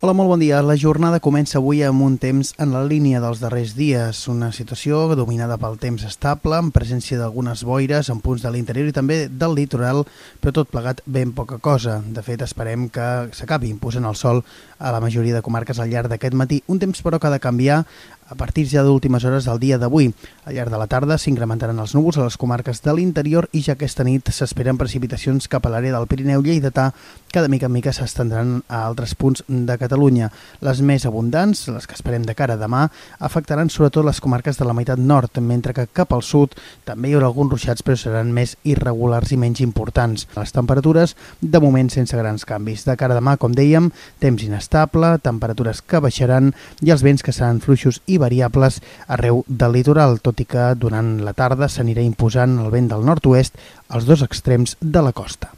Hola, molt bon dia. La jornada comença avui amb un temps en la línia dels darrers dies. Una situació dominada pel temps estable, amb presència d'algunes boires en punts de l'interior i també del litoral, però tot plegat ben poca cosa. De fet, esperem que s'acabi imposant el sol a la majoria de comarques al llarg d'aquest matí. Un temps, però, que ha de canviar a partir ja d'últimes hores del dia d'avui. Al llarg de la tarda s'incrementaran els núvols a les comarques de l'interior i ja aquesta nit s'esperen precipitacions cap a l'àrea del Pirineu lleidatà que de mica en mica s'estendran a altres punts de Catalunya. Les més abundants, les que esperem de cara a demà, afectaran sobretot les comarques de la meitat nord, mentre que cap al sud també hi haurà alguns ruixats, però seran més irregulars i menys importants. Les temperatures, de moment, sense grans canvis. De cara a demà, com dèiem, temps inestable, temperatures que baixaran i els vents que seran fluixos i variables arreu del litoral, tot i que durant la tarda s'anirà imposant el vent del nord-oest als dos extrems de la costa.